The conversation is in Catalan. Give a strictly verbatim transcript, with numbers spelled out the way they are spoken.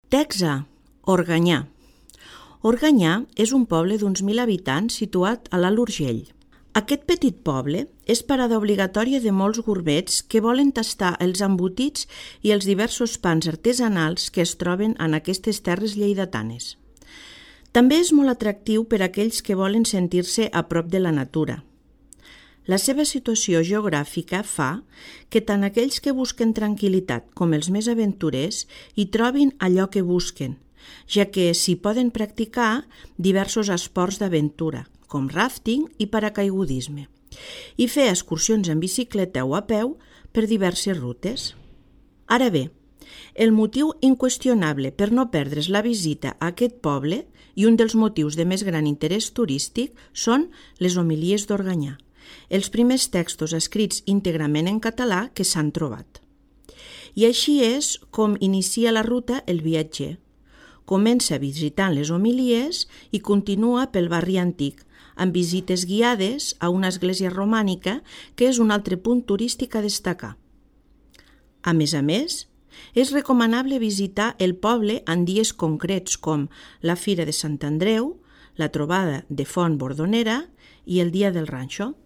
Text A. Organyà. Organyà és un poble d'uns mil habitants situat a l'Alt Urgell. Aquest petit poble és parada obligatòria de molts gourmets que volen tastar els embotits i els diversos pans artesanals que es troben en aquestes terres lleidatanes. També és molt atractiu per a aquells que volen sentir-se a prop de la natura. La seva situació geogràfica fa que tant aquells que busquen tranquil·litat com els més aventurers hi trobin allò que busquen, ja que s'hi poden practicar diversos esports d'aventura, com ràfting i paracaigudisme, i fer excursions en bicicleta o a peu per diverses rutes. Ara bé, el motiu inqüestionable per no perdre's la visita a aquest poble i un dels motius de més gran interès turístic són les homilies d'Organyà, els primers textos escrits íntegrament en català que s'han trobat. I així és com inicia la ruta el viatger. Comença visitant les homilies i continua pel barri antic, amb visites guiades a una església romànica que és un altre punt turístic a destacar. A més a més, és recomanable visitar el poble en dies concrets com la Fira de Sant Andreu, la trobada de Font Bordonera i el Dia del Ranxo.